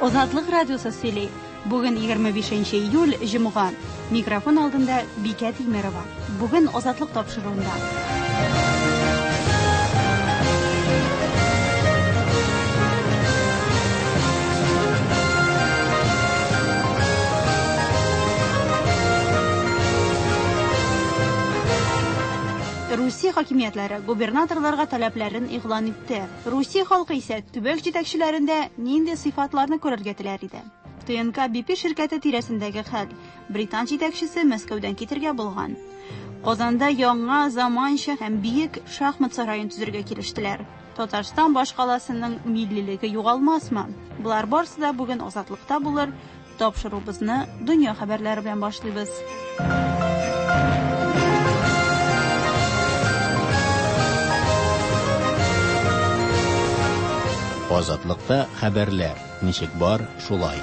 Азатлык радиосы сөйли. Бүген 25 июль, җомга. Микрофон алдында Бикә Тимерова. Бүген Азатлык тапшыруында. Русия хакимиятләре губернаторларга таләпләрен игълан итте. Русия халкы исә төбәк җитәкчеләрендә нинди сыйфатларны күрергә теләр иде? ТНК BP ширкәте тирәсендәге хәл. Британ җитәкчесе Мәскәүдән китергә булган. Казанда яңа, заманча һәм биек шахмат сараен төзергә килештеләр. Татарстан башкаласының миллилеге югалмасмы? Болар барысы да бүген Азатлыкта булыр. Тапшыруыбызны дөнья хәбәрләре белән башлыйбыз. Азатлыкта хәбәрләр ничек бар, шулай.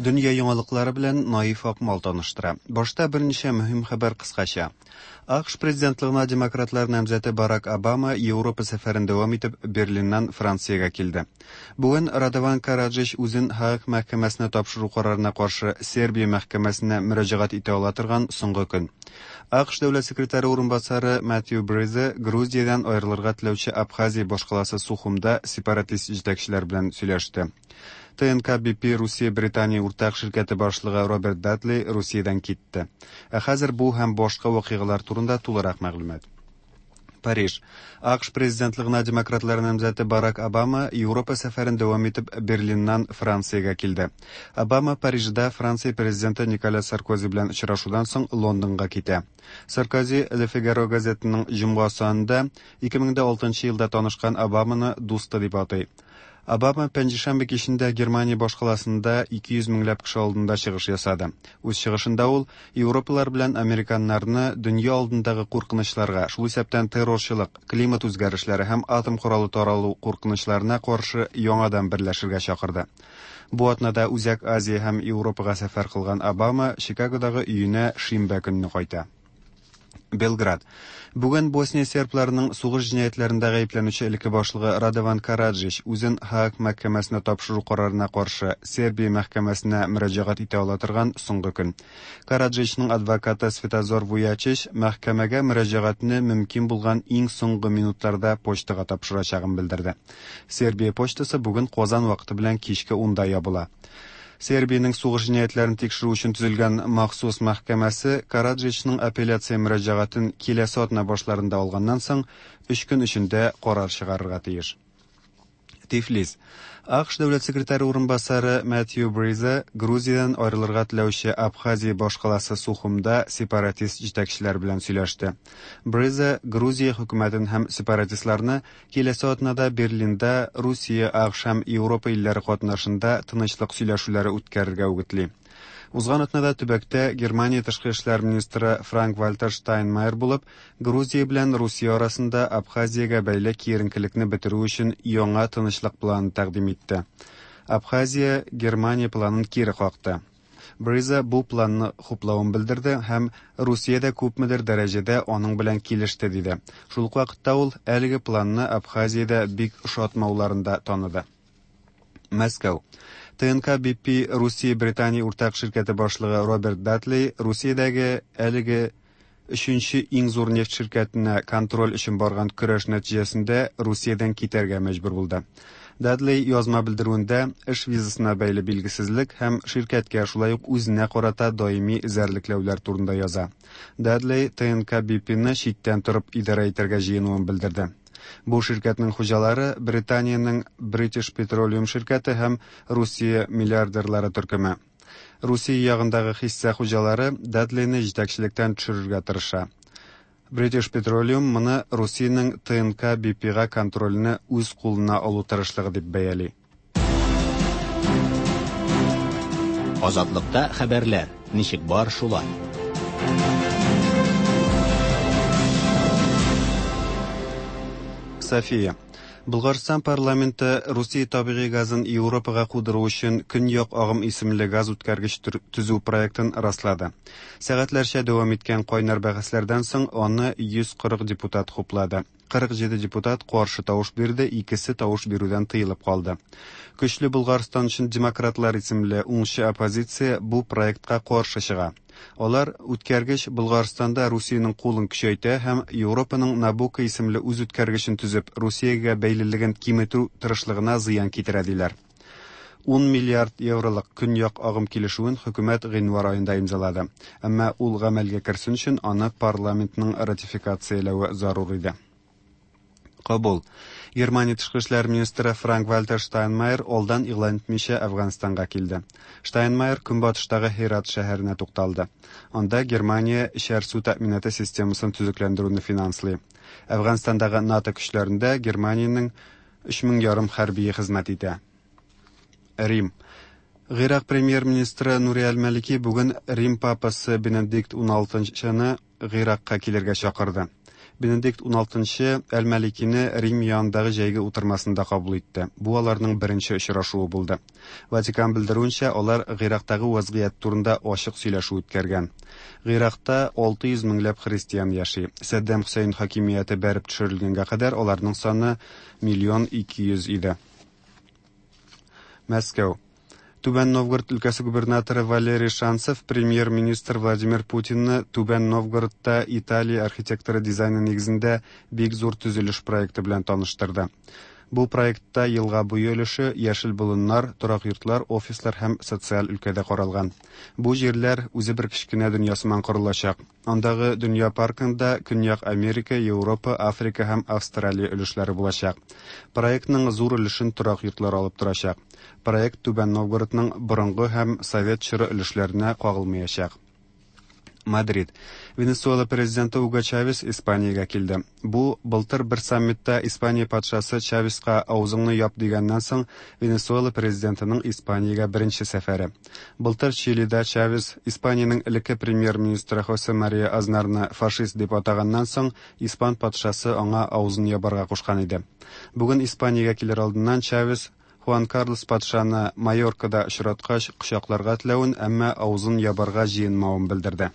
Дөнья яңалыклары белән Наиф Акмал таныштыра. Башта берничә мөһим хәбәр кыскача. АКШ президентлыгына демократлар намзәте Барак Обама Европа сәфәрен дәвам итеп Берлиннан Франциягә килде. Бүген Радован Караджич үзен һааг мәхкәмәсенә тапшыру карарына каршы Сербия мәхкәмәсенә мөрәҗәгать итә ала торган соңгы көн. АКШ дәүләт секретаре урынбасары Мэтью Бризе Грузиядән аерылырга теләүче Абхазия башкаласы Сухумда сепаратист җитәкчеләр белән сөйләште. ТНК BP Русия-Британия уртак ширкәте башлыгы Роберт Дадли Русиядән китте. Ә хәзер бу һәм башка вакыйгалар турында тулырак мәгълүмат. Париж. АКШ президентлыгына демократлар намзәте Барак Обама Европа сәфәрен дәвам итеп Берлиннан Франциягә килде. Обама Парижда Франция президенты Николя Саркози белән очрашудан соң Лондонга китә. Саркози Le Figaro газетының җомга санында 2006 елда танышкан Обаманы дусты дип атый. Обама пәнҗешәмбе кичендә Германия башкаласында 200 меңләп кеше алдында чыгыш ясады. Үз чыгышында ул европалар белән американнарны дөнья алдындагы куркынычларга, шул исәптән террорчылык, климат үзгәрешләре һәм атом коралы таралу куркынычларына каршы яңадан берләшергә чакырды. Бу атнада Үзәк Азия һәм Европага сәфәр кылган Обама Чикагодагы өенә шимбә көнне кайта. Белград. Бүген Босния сербларының сугыш җинаятьләрендә гаепләнүче элекке башлыгы Радован Караджич үзен һааг мәхкәмәсенә тапшыру карарына каршы Сербия мәхкәмәсенә мөрәҗәгать итә ала торган соңгы көн. Караджичның адвокаты Светозор Вуячич мәхкәмәгә мөрәҗәгатьне мөмкин булган иң соңгы минутларда почтага тапшырачагын белдерде. Сербия почтасы бүген Казан вакыты белән кичке 10-да ябыла. Сербиянең сугыш җинаятьләрен тикшерү өчен төзелгән махсус мәхкәмәсе Караджичның апелляция мөрәҗәгатен киләсе атна башларында алганнан соң өч көн эчендә карар чыгарырга тиеш. Тифлис. АКШ дәүләт секретаре урынбасары Мэтью Бризе Грузиядән аерылырга теләүче Абхазия башкаласы Сухумда сепаратист җитәкчеләр белән сөйләште. Бризе Грузия хөкүмәтен һәм сепаратистларны Киләсе атнада Берлинда Русия, АКШ һәм Европа илләре катнашында тынычлык сөйләшүләре үткәрергә үгетли. Узган атнада төбәктә Германия тышкы эшләр министры Франк-Вальтер Штайнмайер булып, Грузия белән Русия арасында Абхазиягә бәйле киеренкелекне бетерү өчен яңа тынычлык планы тәкъдим итте. Абхазия Германия планын кире какты. Бриза бу планны хуплавын белдерде һәм Русия дә күпмедер дәрәҗәдә аның белән килеште, диде. Шул ук вакытта ул әлеге планны Абхазиядә бик ошатмауларын да таныды. Мәскәү. ТНК BP Русия-Британия уртак ширкәте башлыгы Роберт Датли Русиядәге әлеге өченче иң зур нефть ширкәтенә контроль өчен барган көрәш нәтиҗәсендә Русиядән китәргә мәҗбүр булды. Дадли язма белдерүендә эш визасына бәйле билгесезлек һәм ширкәткә шулай ук үзенә карата даими эзәрлекләүләр турында яза. Дадли ТНК BP-ны читтән торып идарә итәргә җыенуын белдерде. Бу ширкәтнең хуҗалары Британиянең British Petroleum ширкәте һәм Русия миллиардерлары төркеме. Русия ягындагы хисса хуҗалары Дадлины җитәкчелектән төшерергә тырыша. British Petroleum моны Русиянең ТНК BP-га контрольне үз кулына алу тырышлыгы дип бәяли. Азатлыкта хәбәрләр ничек бар, шулай. София. Болгарстан парламенты Русия табигый газын Европага кудыру өчен Көньяк агым исемле газ үткәргеч төзү проектын раслады. Сәгатьләрчә дәвам иткән кайнар бәхәсләрдән соң аны 140 депутат хуплады. 47 депутат каршы тавыш бирде, икесе тавыш бирүдән тыелып калды. Көчле Болгарстан өчен демократлар исемле уңчы оппозиция бу проектка каршы чыга. Алар үткәргеч Болгарстанда Русиянең кулын көчәйтә һәм Европаның Набуко исемле үз үткәргечен төзеп, Русиягә бәйлелеген киметү тырышлыгына зыян китерә диләр. 10 миллиард евролык көньяк агым килешүен хөкүмәт гыйнвар аенда имзалады. Әмма ул гамәлгә керсен өчен аны парламентның ратификацияләве зарур иде. Кабул. Германия тышкы эшләр министры Франк-Вальтер Штайнмайер алдан игълан итмичә Әфганстанга килде. Штайнмайер көнбатыштагы Һерат шәһәренә тукталды. Анда Германия эчәр су тәэминаты системасын төзекләндерүне финанслый. Әфганстандагы НАТО көчләрендә Германиянең 3,5 мең хәрбие хезмәт итә. Рим. Гыйрак премьер-министры Нури әл-Малики бүген Рим папасы Бенедикт XVI-ны Гыйракка килергә чакырды. Бенедикт XVI әл-Маликины Рим янындагы җәйге утырмасында кабул итте. Бу аларның беренче очрашуы булды. Ватикан белдерүенчә, алар Гыйрактагы вазгыять турында ачык сөйләшү үткәргән. Гыйракта 600 меңләп христиан яши. Сәддам Хөсәен хакимияте бәреп төшерелгәнгә кадәр аларның саны миллион 200 иде. Мәскәү. Түбән Новгород өлкәсе губернаторы Валерий Шанцев премьер-министр Владимир Путинны Түбән Новгородта Италия архитекторы дизайны нигезендә бик зур төзелеш проекты белән таныштырды. Бу проектта елга буе өлеше, яшел болыннар, торак йортлар, офислар һәм социаль өлкәдә каралган. Бу җирләр үзе бер кечкенә дөнья сыман корылачак. Андагы дөнья паркында Көньяк Америка, Европа, Африка һәм Австралия өлешләре булачак. Проектның зур өлешен торак йортлар алып торачак. Проект Түбән Новгородның борынгы һәм совет чоры өлешләренә кагылмаячак. Мадрид. Венесуэла президенты Уго Чавес Испаниягә килде. Бу былтыр бер саммитта Испания патшасы Чавеска авызыңны яп дигәннән соң Венесуэла президентының Испаниягә беренче сәфәре. Былтыр Чилида Чавес Испаниянең элекке премьер-министры Хосе Мария Азнарны фашист дип атаганнан соң испан патшасы аңа авызын ябарга кушкан иде. Бүген Испаниягә килер алдыннан Чавес Хуан Карлос патшаны Майоркада очраткач кочакларга теләвен, әмма авызын ябарга җыенмавын белдерде.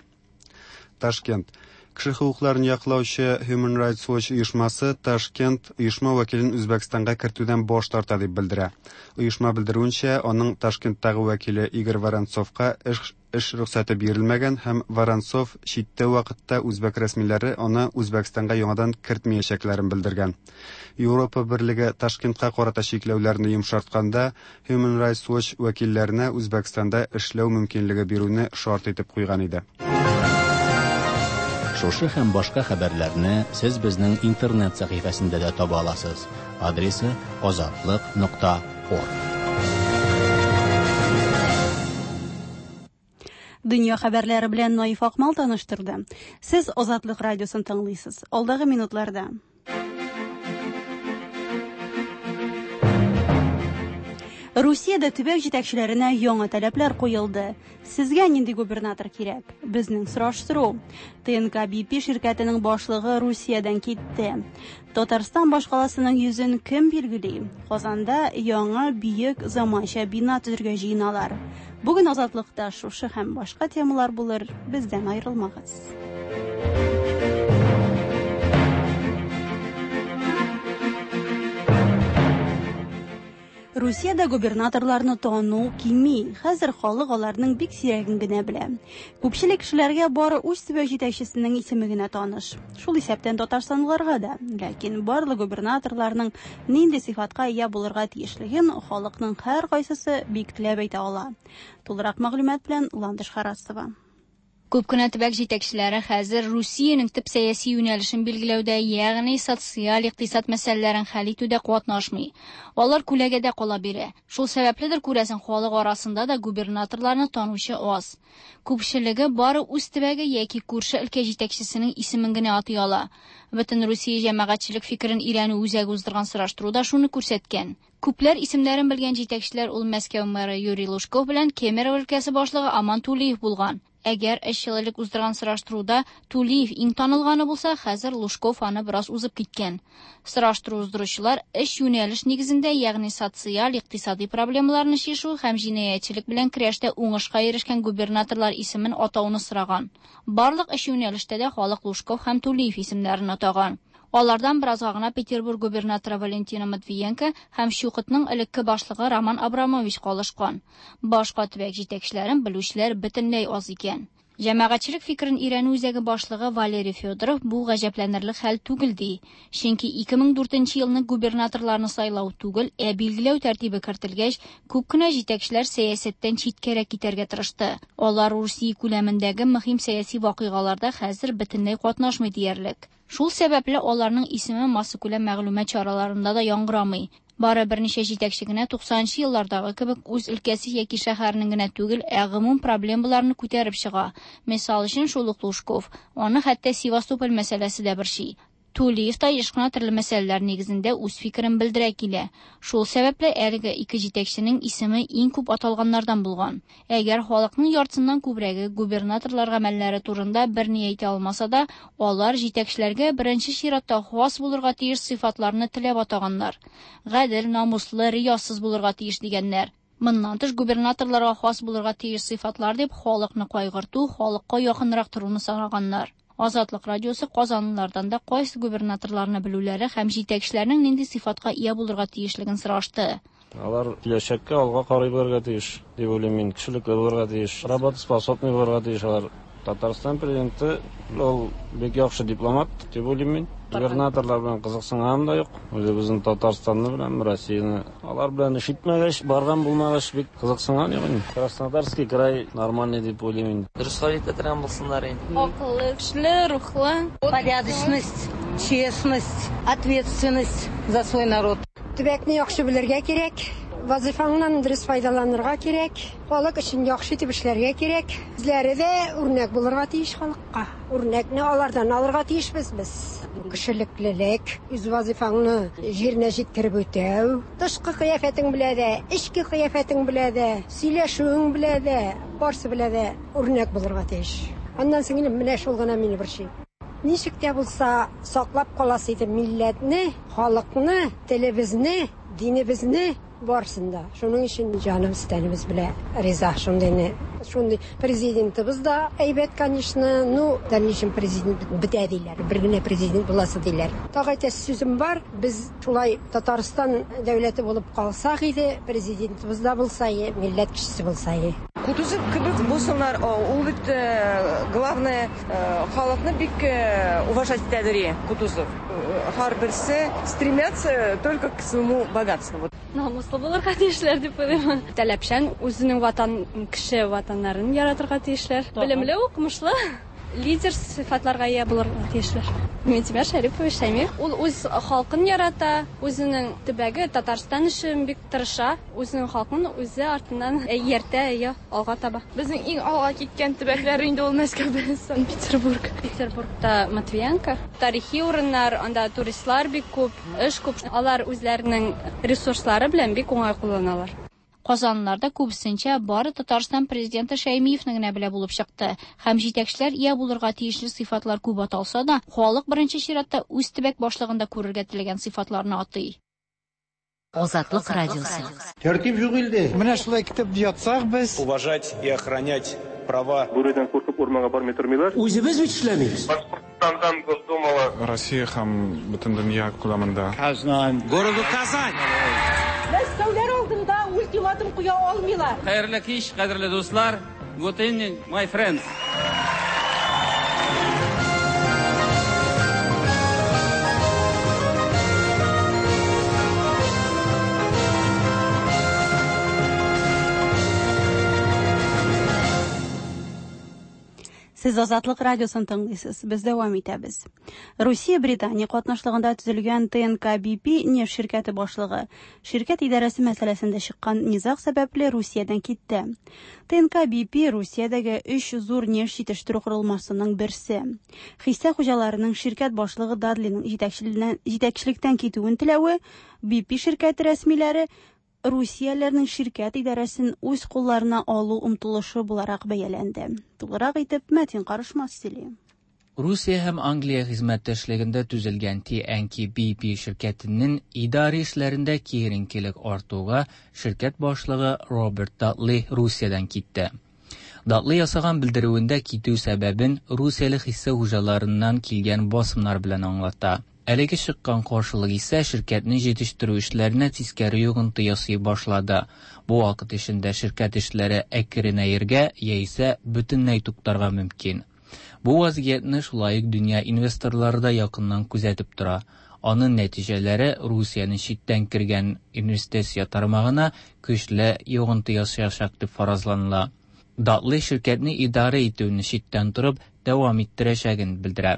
Ташкент. Кеше хокукларын яклаучы Human Rights Watch оешмасы Ташкент оешма вәкилен Үзбәкстанга кертүдән баш тарта дип белдерә. Оешма белдерүенчә, аның Ташкенттагы вәкиле Игорь Воронцовка эш рөхсәте бирелмәгән һәм Воронцов читтә вакытта үзбәк рәсмиләре аны Үзбәкстанга яңадан кертмәячәкләрен белдергән. Европа берлеге Ташкентка карата чикләүләрне йомшартканда Human Rights Watch вәкилләренә Үзбәкстанда эшләү мөмкинлеге бирүне шарт итеп куйган иде. Шушы һәм башка хәбәрләрне сез безнең интернет сәхифәсендә дә таба аласыз. Адресы azatliq.org. Дөнья хәбәрләре белән Наиф Акмал таныштырды. Сез Азатлык радиосын тыңлыйсыз. Алдагы минутларда. Русиядә төбәк җитәкчеләренә яңа таләпләр куелды. Сезгә нинди губернатор кирәк? Безнең сораштыру. ТНК BP ширкәтенең башлыгы Русиядән китте. Татарстан башкаласының йөзен кем билгели? Казанда яңа бөек заманча бина төзергә җыеналар. Бүген Азатлыкта шушы һәм башка темалар булыр. Бездән аерылмагыз. Русиядә губернаторларны тану кими. Хәзер халык аларның бик сирәген генә белә. Күпчелек кешеләргә бары үз төбәк җитәкчесенең исеме генә таныш. Шул исәптән татарстанлыларга да. Ләкин барлык губернаторларның нинди сыйфатка ия булырга тиешлеген халыкның һәркайсысы бик теләп әйтә ала. Тулырак мәгълүмат белән Ландыш Харасова. Күп кенә төбәк җитәкчеләре хәзер Русиянең төп сәяси юнәлешен билгеләүдә, ягъни социаль икътисад мәсьәләләрен хәл итүдә катнашмый. Алар күләгәдә кала бирә. Шул сәбәпледер күрәсең, халык арасында да губернаторларны танучы аз. Күпчелеге бары үз төбәге яки күрше өлкә җитәкчесенең исемен генә атый ала. Бөтен Русия җәмәгатьчелек фикерен өйрәнү үзәге уздырган сораштыруда шуны күрсәткән. Күпләр исемнәрен белгән җитәкчеләр ул Мәскәү мэры Юрий Лужков белән Кемерово өлкәсе башлыгы Аман Тулиев булган. Әгәр өч ел элек уздырган сораштыруда Тулиев иң танылганы булса, хәзер Лужков аны бераз узып киткән. Сораштыру уздыручылар өч юнәлеш нигезендә, ягъни социаль, икътисади проблемаларны чишү һәм җинаятьчелек белән көрәштә уңышка ирешкән губернаторлар исемен атауны сораган. Барлык өч юнәлештә дә халык Лужков һәм Тулиев исемнәрен атаган. Алардан беразга гына Петербург губернаторы Валентина Матвиенко һәм ЧУКТның элекке башлыгы Роман Абрамович калышкан. Башка төбәк җитәкчеләрен белүчеләр бөтенләй аз икән. Җәмәгатьчелек фикерен өйрәнү үзәге башлыгы Валерий Федоров бу гаҗәпләнерлек хәл түгел ди. Чөнки 2004 елны губернаторларны сайлау түгел, ә билгеләү тәртибе кертелгәч, күп кенә җитәкчеләр сәясәттән читкәрәк китәргә тырышты. Алар Русия күләмендәге мөһим сәяси вакыйгаларда хәзер бөтенләй катнашмый диярлек. Шул сәбәпле аларның исеме массакүләм мәгълүмат чараларында да яңгырамый. Бары берничә җитәкче генә 90 нчы еллардагы кебек үз өлкәсе яки шәһәренең генә түгел, ә гомум проблемаларны күтәреп чыга. Мисал өчен, шул ук Лужков. Аны хәтта Севастополь мәсьәләсе дә борчый. Тулиев та еш кына төрле мәсьәләләр нигезендә үз фикерен белдерә килә. Шул сәбәпле әлеге ике җитәкченең исеме иң күп аталганнардан булган. Әгәр халыкның яртысыннан күбрәге губернаторлар гамәлләре турында берни әйтә алмаса да, алар җитәкчеләргә беренче чиратта хас булырга тиеш сыйфатларны теләп атаганнар. Гадел, намуслы, риясыз булырга тиеш дигәннәр. Моннан тыш губернаторларга хас булырга тиеш сыйфатлар дип халыкны кайгырту, халыкка якынрак торуны санаганнар. Азатлык радиосы казанлылардан да кайсы губернаторларны белүләре һәм җитәкчеләрнең нинди сыйфатка ия булырга тиешлеген сорашты. Алар киләчәккә алга карый белергә тиеш, дип уйлыйм мин. Кешелекле булырга тиеш, работоспособный булырга тиеш алар. Татарстан президенты ул бик яхшы дипломат, дип уйлыйм мин. Губернаторлар белән кызыксынганым да юк. Үзебезнең Татарстанны беләм, Россияне. Алар белән эш итмәгәч, барган булмагач, бик кызыксынган юк инде. Краснодарский край нормальный дип уйлыйм инде. Дөрес хәл итә торган булсыннар инде. Акыллы, көчле, рухлы. Порядочность, честность, ответственность за свой народ. Төбәкне яхшы белергә кирәк, вазыйфаңнан дөрес файдаланырга кирәк, халык өчен яхшы итеп эшләргә кирәк. Үзләре дә үрнәк булырга тиеш халыкка. Үрнәкне алардан алырга тиешбез без. Кешелеклелек, үз вазыйфаңны җиренә җиткереп үтәү, тышкы кыяфәтең белә дә, эчке кыяфәтең белә дә, сөйләшүең белә дә, барсы белә дә үрнәк булырга тиеш. Аннан соң инде менә шул гына мине борчый. Ничек тә булса саклап каласы иде милләтне, халыкны, телебезне, динебезне барысын да. Шуның өчен җаныбыз, тәнебез белә риза шундыйны. Шундый президентыбыз да әйбәт, конечно, ну, дальнейшем президент бетә диләр. Бер генә президент буласы диләр. Тагы әйтәсе сүзем бар, без шулай Татарстан дәүләте булып калсак иде, президентыбыз да булса, милләт кешесе булса. Кутузов кебек булсыннар, ул бит главное халыкны бик уважать итәдер Кутузов. Һәрберсе стремятся только к своему богатству. Намуслы булырга тиешләр дип уйлыйм. Таләпчән, үзенең ватан, кеше ватаннарын яратырга тиешләр. Белемле, укымышлы, лидер сыйфатларга ия булырга тиешләр. Минтимер Шәрипович Шәймиев, ул үз халкын ярата, үзенең төбәге Татарстан өчен бик тырыша, үзенең халкын үзе артыннан ияртә, әйе, алга таба. Безнең иң алга киткән төбәкләр инде ул Мәскәү белән Санкт-Петербург. Петербургта Матвиенко. Тарихи урыннар, анда туристлар бик күп, эш күп. Алар үзләренең ресурслары белән бик уңай кулланалар. Казанлылар да күбесенчә бары Татарстан президенты Шәймиевне генә белә булып чыкты. Һәм җитәкчеләр ия булырга тиешле сыйфатлар күп аталса да, халык беренче чиратта үз төбәк башлыгында күрергә теләгән сыйфатларны атый. Азатлык радиосы. Тәртип юк илдә. Менә шулай китеп ятсак без. Уважать и охранять права. Бүредән куркып урманга бармый тормыйлар. Үзебез бит эшләмибез. Башкортстандан Госдумала. Россия һәм бөтен дөнья күләмендә. Казан. Городу Казань. Мәскәүләр алдында ультиматум куя алмыйлар. Хәерле кич, кадерле дуслар. Good evening, my friends. Сез Азатлык радиосын тыңлыйсыз. Без дәвам итәбез. Русия Британия катнашлыгында төзелгән ТНК-BP нефть ширкәте башлыгы ширкәт идарәсе мәсьәләсендә чыккан низаг сәбәпле Русиядән китте. ТНК-BP Русиядәге өч зур нефть җитештерү корылмасының берсе. Хисса хуҗаларының ширкәт башлыгы Дадлиның җитәкчелектән китүен теләве BP ширкәте рәсмиләре русияләрнең ширкәт идарәсен үз кулларына алу омтылышы буларак бәяләнде. Тулырак итеп Мәтин Карышмас сөйли. Русия һәм Англия хезмәттәшлегендә төзелгән TNK-BP ширкәтенең идарә эшләрендә киеренкелек артуга ширкәт башлыгы Роберт Датли Русиядән китте. Датли ясаган белдерүендә китү сәбәбен русияле хисса хуҗаларыннан килгән басымнар белән аңлата. Әлеге чыккан каршылык исә ширкәтнең җитештерү эшләренә тискәре йогынты ясый башлады. Бу вакыт эчендә ширкәт эшләре әкренәергә яисә бөтенләй туктарга мөмкин. Бу вазгыятьне шулай ук дөнья инвесторлары да якыннан күзәтеп тора. Аның нәтиҗәләре Русиянең читтән кергән инвестиция тармагына көчле йогынты ясаячак дип фаразланыла. Датлы ширкәтне идарә итүне читтән торып дәвам иттерәчәген белдерә.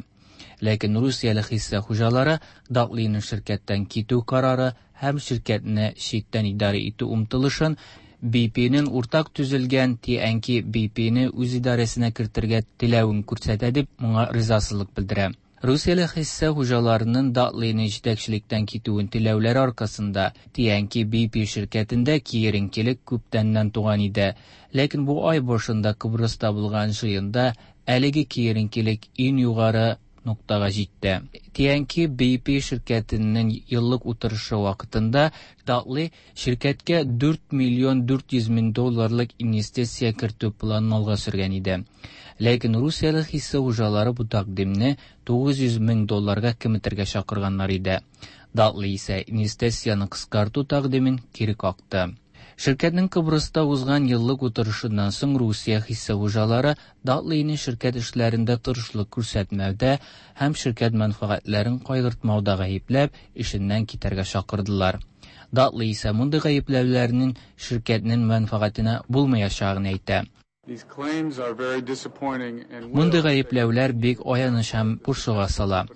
Ләкин русияле хисса хуҗалары Датлиның ширкәттән китү карары һәм ширкәтне читтән идарә итү омтылышын BP-ның уртак төзелгән TNK-BP-не үз идарәсенә кертергә теләвен күрсәтә дип моңа ризасызлык белдерә. Русияле хисса хуҗаларының Датлиның җитәкчелектән китүен теләүләре аркасында TNK-BP ширкәтендә киеренкелек күптәннән туган иде. Ләкин бу ай башында Кыбрыста булган җыенда әлеге киеренкелек иң югары ноктага җитте. TNK-BP ширкәтенең еллык утырышы вакытында Датлы ширкәткә 4 миллион 400 мең долларлык инвестиция кертү планын алга сөргән иде. Ләкин русияле хисса хуҗалары бу тәкъдимне 900 мең долларга киметергә чакырганнар иде. Датлы исә инвестицияне кыскарту тәкъдимен кире какты. Ширкәтнең Кыбрыста узган еллык утырышыннан соң Русия хисса хуҗалары Датлыйны ширкәт эшләрендә тырышлык күрсәтмәүдә һәм ширкәт мәнфәгатьләрен кайгыртмауда гаепләп, эшеннән китәргә чакырдылар. Датлы исә мондый гаепләүләрнең ширкәтнең мәнфәгатенә булмаячагын әйтә. Мондый гаепләүләр бик аяныч һәм борчуга сала.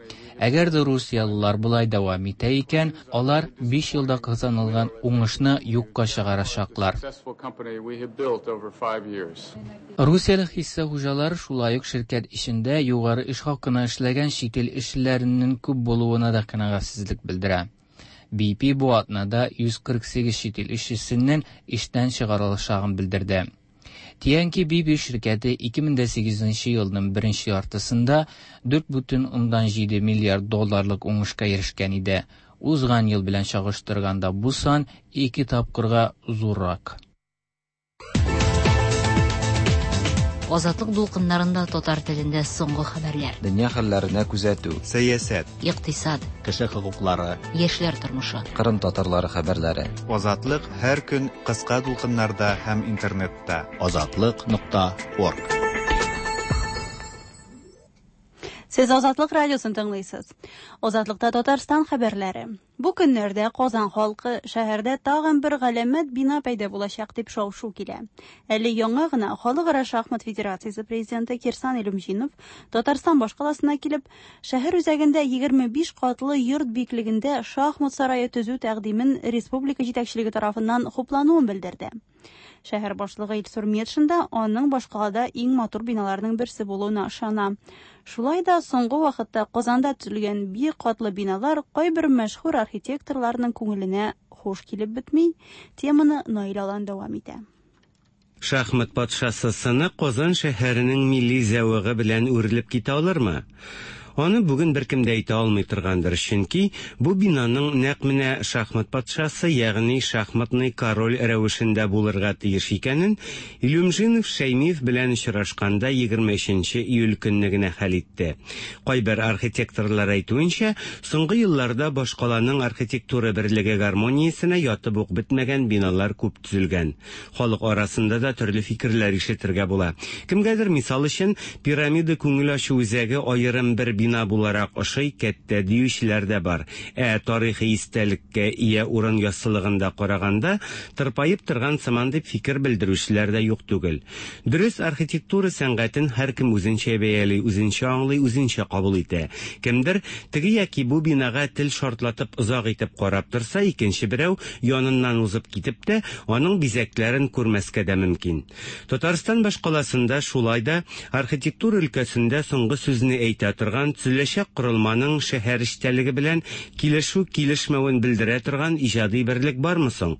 Әгәр дә русиялылар болай дәвам итә икән, алар 5 елда казанылган уңышны юкка чыгарачаклар. Русияле хисса хуҗалары шулай ук ширкәт эчендә югары эш хакына эшләгән чит ил эшчеләренең күп булуына да канәгатьсезлек белдерә. BP бу атнада 148 чит ил эшчесенең эштән чыгарылачагын белдерде. TNK-BP ширкәте 2008 елның беренче яртысында 4,7 миллиард долларлык уңышка ирешкән иде. Узган ел белән чагыштырганда бу сан ике тапкырга зуррак. Азатлык дулкыннарында татар телендә соңгы хәбәрләр. Дөнья хәлләренә күзәтү. Сәясәт. Икътисад. Кеше хокуклары. Яшьләр тормышы. Кырым татарлары хәбәрләре. Азатлык һәр көн кыска дулкыннарда һәм интернетта. Азатлык.орг. Сез Азатлык радиосын тыңлыйсыз. Азатлыкта Татарстан хәбәрләре. Бу көннәрдә Казан халкы шәһәрдә тагын бер галәмәт бина пәйда булачак дип шау-шу килә. Әле яңа гына Халыкара шахмат федерациясе президенты Кирсан Илюмжинов Татарстан башкаласына килеп, шәһәр үзәгендә 25 катлы йорт биеклегендә шахмат сарае төзү тәкъдимен республика җитәкчелеге тарафыннан хуплануын белдерде. Шәһәр башлыгы Илсур Метшин да аның башкалада иң матур биналарның берсе булуына ышана. Шулай да соңгы вакытта Казанда төзелгән биек катлы биналар кайбер мәшһүр архитекторларның күңеленә хуш килеп бетми. Теманы Наил Алан дәвам итә. Шахмат патшасы сыны Казан шәһәренең милли зәвыгы белән үрелеп китә алырмы? Аны бүген беркем дә әйтә алмый торгандыр, чөнки бу бинаның нәкъ менә шахмат патшасы, ягъни шахматный король рәвешендә булырга тиеш икәнен Илюмжинов Шәймиев белән очрашканда 23 июль көнне генә хәл итте. Кайбер архитекторлар әйтүенчә, соңгы елларда башкаланың архитектура берлеге гармониясенә ятып ук бетмәгән биналар күп төзелгән. Халык арасында да төрле фикерләр ишетергә була. Кемгәдер мисал өчен пирамида күңел ачу үзәге аерым бер бина буларак ошый, кәттә диючеләр дә бар. Ә тарихи истәлеккә ия урын яссылыгында караганда, тырпаеп торган сыман дип фикер белдерүчеләр дә юк түгел. Дөрес, архитектура сәнгатен һәркем үзенчә бәяли, үзенчә аңлый, үзенчә кабул итә. Кемдер теге яки бу бинага тел шартлатып озак итеп карап торса, икенче берәү яныннан узып китеп тә, аның бизәкләрен күрмәскә дә мөмкин. Татарстан башкаласында шулай да архитектура өлкәсендә соңгы сүзне әйтә торган карамастан, төзеләчәк корылманың шәһәр эчтәлеге белән килешү-килешмәвен белдерә торган иҗади берлек бармы соң?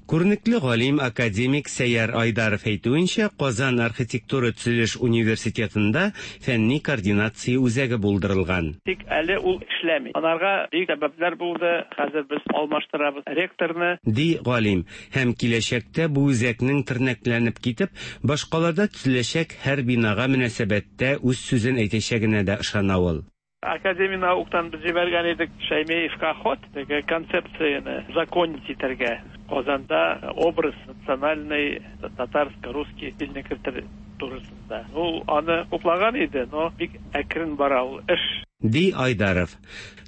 Күренекле галим, академик Сәйяр Айдаров әйтүенчә, Казан архитектура-төзелеш университетында фәнни координация үзәге булдырылган. Тик әле ул эшләми. Анарга бик сәбәпләр булды. Хәзер без алмаштырабыз ректорны. Ди галим. Һәм киләчәктә бу үзәкнең тернәкләнеп китеп, башкалада төзеләчәк һәр бинага мөнәсәбәттә үз сүзен әйтәчәгенә дә ышана ул. Академия науктан без җибәргән идек Шәймиевка хат, теге концепцияне узаконить итәргә, Казанда образ национальный татарско-русский стильне кертер турысында. Ул аны хуплаган иде, но бик әкрен бара ул эш. Ди Айдаров.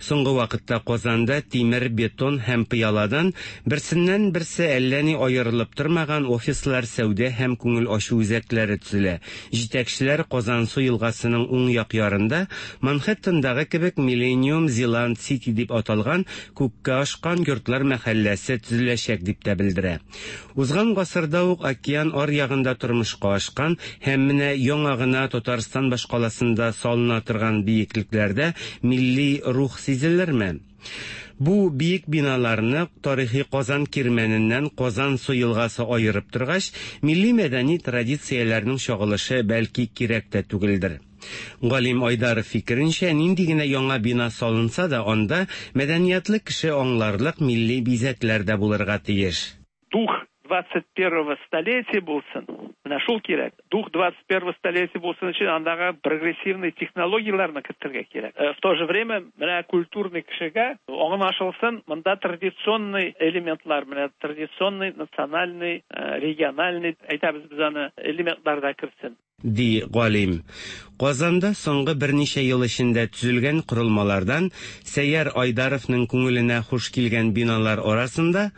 Соңгы вакытта Казанда тимер, бетон һәм пыяладан берсеннән-берсе әллә ни аерылып тормаган офислар, сәүдә һәм күңел ачу үзәкләре төзелә. Җитәкчеләр Казансу елгасының уң як ярында Манхэттендагы кебек Миллениум Зеланд Сити дип аталган күккә ашкан йортлар мәхәлләсе төзеләчәк дип тә белдерә. Узган гасырда ук океан аръягында тормышка ашкан һәм менә яңа гына Татарстан башкаласында салына торган биеклекләрдә милли рух сизелерме? Бу биек биналарны тарихи Казан Кирмәненнән Казансу елгасы аерып торгач, милли-мәдәни традицияләрнең чагылышы бәлки кирәк тә түгелдер. Галим Айдаров фикеренчә, нинди генә яңа бина салынса да, анда мәдәниятле кеше аңларлык милли бизәкләр дә булырга тиеш. Дух 21 столетия булсын, менә шул кирәк. Дух 21 столетия булсын өчен андагы прогрессивный технологияләрне кертергә кирәк. Э, в то же время менә культурный кешегә аңлашылсын, монда традиционный элементлар, менә традиционный, национальный, э, региональный, әйтәбез без аны, элементлар да керсен. Ди галим. Казанда соңгы берничә ел эчендә төзелгән корылмалардан Сәйяр Айдаровның күңеленә хуш килгән биналар арасында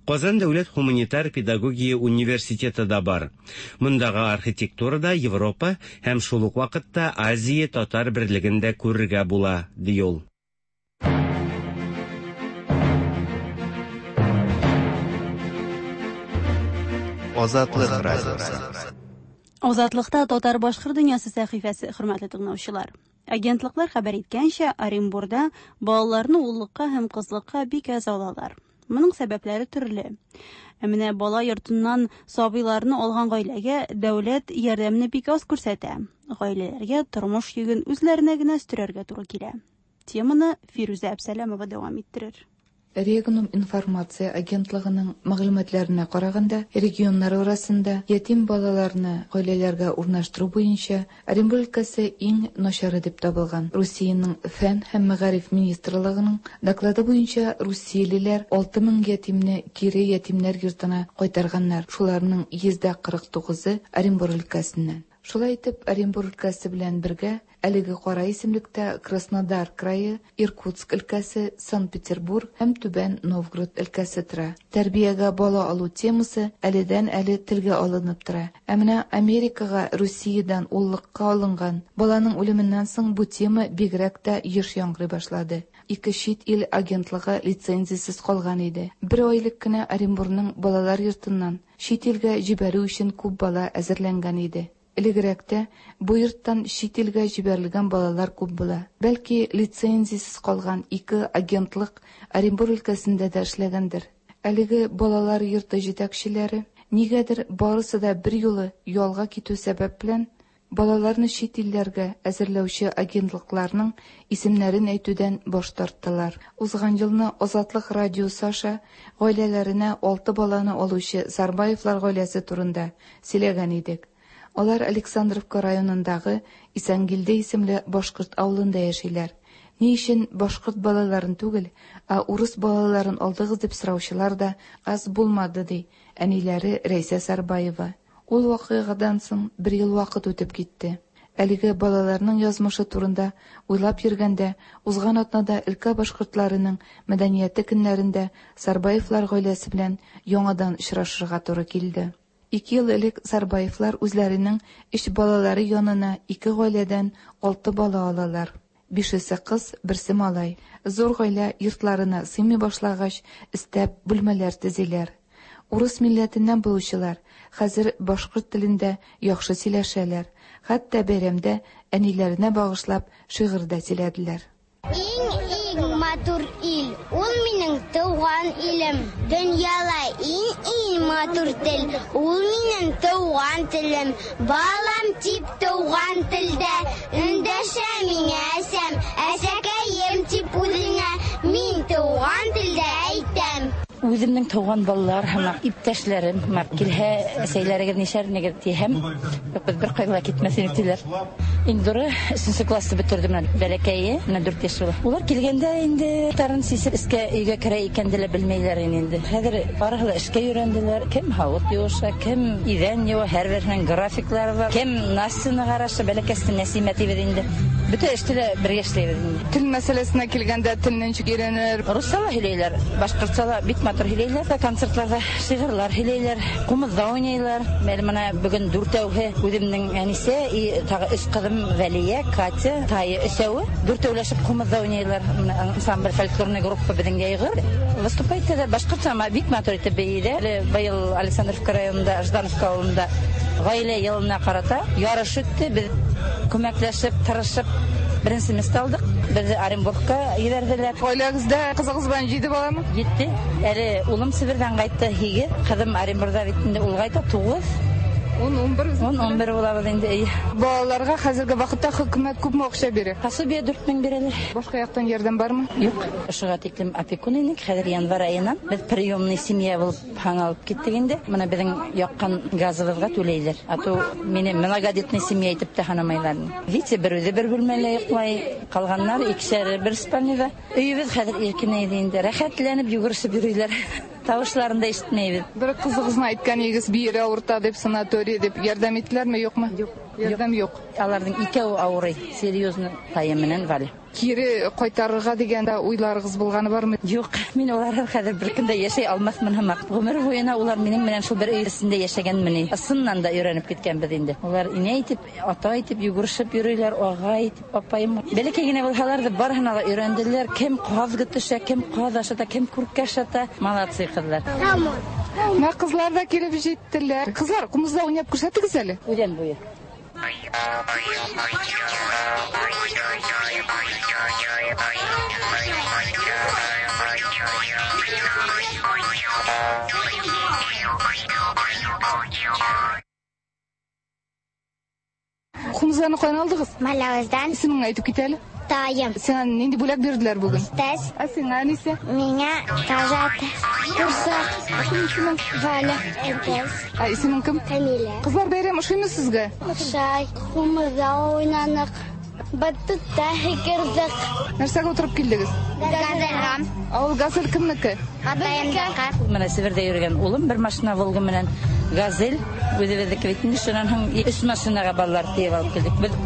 Казан дәүләт һуманитар педагогия университеты да бар. Мондагы архитектурада Европа һәм шул ук вакытта Азия татар берлеген дә күрергә була, ди ул. Азатлык радиосы. Азатлыкта татар-башкорт дөньясы сәхифәсе, хөрмәтле тыңлаучылар. Агентлыклар хәбәр иткәнчә, Оренбурда балаларны уллыкка һәм кызлыкка бик әз алалар. Моның сәбәпләре төрле. Ә менә бала йортыннан сабыйларны алган гаиләгә дәүләт ярдәмне бик аз күрсәтә. Гаиләләргә тормыш йөген үзләренә генә өстерәргә туры килә. Теманы Фирүзә Әпсәләмова дәвам иттерер. Регнум информация агентлыгының мәгълүматларына караганда, регионнар арасында ятим балаларны гаиләләргә урнаштыру буенча Оренбург өлкәсе иң начары дип табылган. Русиянең Фән һәм мәгариф министрлыгының доклады буенча, русиялеләр 6000 ятимне кире ятимнәр йортына кайтарганнар, шуларның 49%-ы Оренбург өлкәсеннән. Шулай итеп, Оренбург өлкәсе белән бергә әлеге кара исемлектә Краснодар крае, Иркутск өлкәсе, Санкт-Петербург һәм Түбән Новгород өлкәсе тора. Тәрбиягә бала алу темасы әледән-әле телгә алынып тора. Ә менә Америкага Русиядән уллыкка алынган баланың үлеменнән соң бу тема бигрәк тә еш яңгырый башлады. Ике чит ил агентлыгы лицензиясез калган иде. Бер ай элек кенә Оренбурның балалар йортыннан чит илгә җибәрү өчен күп бала әзерләнгән иде. Элегрәк тә бу йорттан чит илгә җибәрелгән балалар күп була. Бәлки, лицензиясез калган ике агентлык Оренбур өлкәсендә дә эшләгәндер. Әлеге балалар йорты җитәкчеләре, нигәдер барысы да берьюлы ялга китү сәбәп белән, балаларны чит илләргә әзерләүче агентлыкларның исемнәрен әйтүдән баш тарттылар. Узган елны Азатлык радиосы аша гаиләләренә алты баланы алучы Сарбаевлар гаиләсе турында сөйләгән идек. Алар Александровка районындагы Исәнгилде исемле башкорт авылында яшиләр. Ни өчен башкорт балаларын түгел, ә урыс балаларын алдыгыз дип сораучылар да аз булмады, ди әниләре Рәйсә Сарбаева. Ул вакыйгадан соң бер ел вакыт үтеп китте. Әлеге балаларның язмышы турында уйлап йөргәндә, узган атнада өлкә башкортларының мәдәнияте көннәрендә Сарбаевлар гаиләсе белән яңадан очрашырга туры килде. Ике ел элек Сарбаевлар үзләренең өч балалары янына ике гаиләдән алты бала алалар. Бишесе кыз, берсе малай. Зур гаилә йортларына сыймый башлагач, өстәп бүлмәләр төзиләр. Урыс милләтеннән булучылар хәзер башкорт телендә яхшы сөйләшәләр. Хәтта бәйрәмдә әниләренә багышлап шигырь дә сөйләделәр. Иң-иң матур ил, ул минем туган илем. Дөньяла иң-иң матур тел, ул минем туган телем. Балам дип туган телдә эндәшә миңа әсәм. Әсәкәем дип үзеңә мин туган телдә әйтәм. Үземнең туган балалар һәм иптәшләрем һәм килһә әсәйләрегез нишәрнегез тиһәм, юк, без бер кайда китмәс идек диләр. Индуры өченче классты бетерде менә бәләкәе, менә 4 яшь була. Улар килгәндә инде тарын сисеп эскә өйгә керә икән дә белмәйләр инде. Хәзер барысы да эшкә өйрәнделәр. Кем һавыт юыша, кем идән юа, һәрберсенең графиклары бар. Кем Настяны караша, бәләкәсен Нәсимә дибез инде. Бөтә эштә дә бергә эшләйбез инде. Тел мәсьәләсенә килгәндә телне ничек өйрәнер? Русча да һөйләйләр, башкортча да бик матур һөйләйләр. Концертларда шигырьләр һөйләйләр, кумызда уйныйлар. Әле менә бүген дүртәүһе үземнең әнисе и тагы өч кызым Вәлия, Катя, Тая өсәүе. Дүртәүләшеп кумызда уйныйлар. Менә ансамбль фольклорный группа безнең Яйгыр. Выступать итәләр башкортча, әмма бик матур итеп бейиләр. Әле быел Александровка районында, Ждановка авылында гаилә елына карата ярыш үтте. Без күмәкләшеп, тырышып беренче место алдык. Безне Оренбургка җибәрделәр. Гаиләгездә кызыгыз белән 7 баламы? 7. Әле улым Себердән кайтты, 8. Кызым Оренбургда бит инде, ул кайта 9. 10, 11. 10, 11 булабыз инде. Әйе. Балаларга хәзерге вакытта хөкүмәт күпме акча бирә? Пособие 4000 бирәләр. Башка яктан ярдәм бармы? Юк. Шуга тиклем опекун идек. Хәзер январь аеннан без приемный семья булып һаң алып киттек инде. Менә безнең яккан газыбызга түләйләр. А то мине многодетный семья итеп тә һанамайлар. Витя бер үзе бер бүлмәлә йоклай, калганнар икешәр бер спальныйда. Өебез хәзер иркенәйде инде. Рәхәтләнеп йөгерешеп йөриләр. Тавышларын да ишетмәйбез. Бер кызыгызны әйткән идегез, бире авырта дип, санаторий дип, ярдәм иттеләрме, юкмы? Юк. Ярдәм юк. Аларның икәү авырый, серьезно, Тая менән Валя. Кире кайтарырга дигән дә уйларыгыз булганы бармы? Юк, мин алар хәзер бер көндә яшәй алмасмын һымак. Гомер буена улар минем белән шул бер өй эчендә яшәгәнмени. Ысыннан да өйрәнеп киткәнбез инде. Улар инә итеп, ата итеп йөгерешеп йөриләр, ага итеп, апаем. Бәләкәй генә булһалар да барыһына да өйрәнделәр. Кем каз көтешә, кем каз ашата, кем күркә ашата. Молодцы кызлар. Менә кызлар да килеп җиттеләр. Кызлар, кумызда уйнап күрсәтегез әле. Үлән буе. Кумызларны каян алдыгыз? Малавыздан. Исемеңне әйтеп кит әле. Таем. Сиңа нинди бүләк бирделәр бүген? Тәс. Ә сиңа әнисе? Миңа тазат. Курсак. Синең исемең? Валя. Әтәс. Ә исемең кем? Камилә. Кызлар, бәйрәм ошыймы сезгә? Ошай. Кумызда уйнанык. Батутта һикердек. Нәрсәгә утырып килдегез? Газельга. Ә ул газель кемнеке? Атаемныкы. Менә Себердә йөргән улым бер машина Волга белән газель үзебезнеке бит инде. Шуннан һәм өч машинага балалар тиеп алып килдек. Без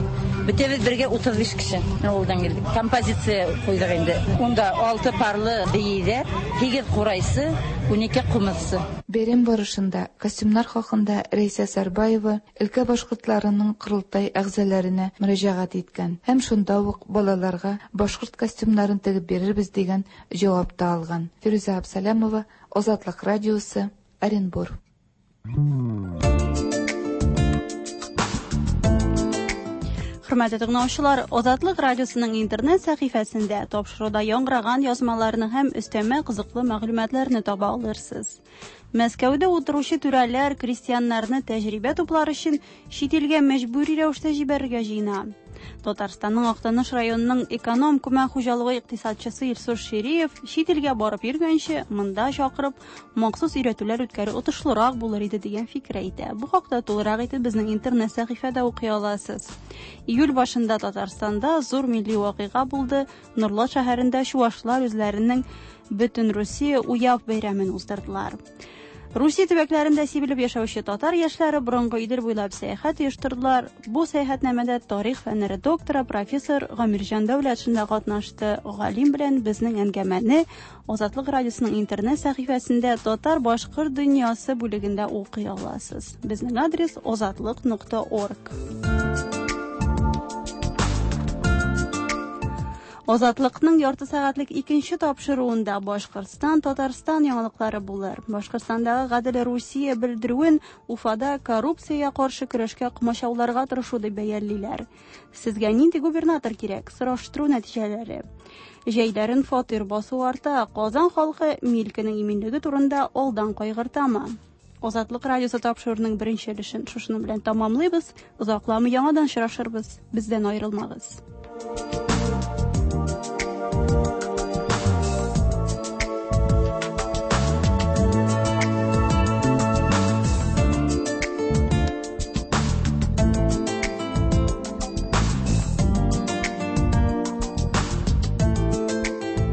бөтәбез бергә 35 кеше авылдан килдек. Композиция куйдык инде. Унда 6 парлы бейидә, 8 курайсы, 12 кумызсы. Бәйрәм барышында костюмнар хакында Рәйсә Сарбаева өлкә башкортларының корылтай әгъзаларына мөрәҗәгать иткән һәм шунда ук балаларга башкорт костюмнарын тегеп бирербез дигән җавап та алган. Фирүзә Абсалямова, Азатлык радиосы, Оренбур. Хөрмәтле тыңлаучылар, Азатлык радиосының интернет сәхифәсендә тапшыруда яңгыраган язмаларны һәм өстәмә кызыклы мәгълүматларны таба алырсыз. Мәскәүдә утыручы түрәләр крестьяннарны тәҗрибә туплар өчен чит илгә мәҗбүри рәвештә җибәрергә җыена. Татарстанның Актаныш районының эконом күмәк хуҗалыгы икътисадчысы Илсур Шириев чит илгә барып йөргәнче, монда чакырып, махсус өйрәтүләр үткәрү отышлырак булыр иде дигән фикер әйтә. Бу хакта тулырак итеп безнең интернет сәхифәдә укый аласыз. Июль башында Татарстанда зур милли вакыйга булды. Нурлат шәһәрендә чувашлар үзләренең Бөтен Русия Уяв бәйрәмен уздырдылар. Русия төбәкләрендә сибелеп яшәүче татар яшьләре борынгы Идел буйлап сәяхәт оештырдылар. Бу сәяхәтнамәдә тарих фәннәре докторы профессор Гамирҗан Дәүләтшин дә катнашты. Галим белән безнең әңгәмәне Азатлык радиосының интернет сәхифәсендә Татар башкорт дөньясы бүлегендә укый аласыз. Безнең адрес азатлык.орг. Азатлыкның ярты сәгатьлек икенче тапшыруында Башкортстан, Татарстан яңалыклары булыр. Башкортстандагы Гадел Русия белдерүен Уфада коррупциягә каршы көрәшкә комачауларга тырышу дип бәялиләр. Сезгә нинди губернатор кирәк? Сораштыру нәтиҗәләре. Җәйләрен фатир басу арта. Казан халкы милкенең иминлеге турында алдан кайгыртамы? Азатлык радиосы тапшыруының беренче өлешен шушының белән тәмамлыйбыз. Озакламый яңадан очрашырбыз. Бездән аерылмагыз.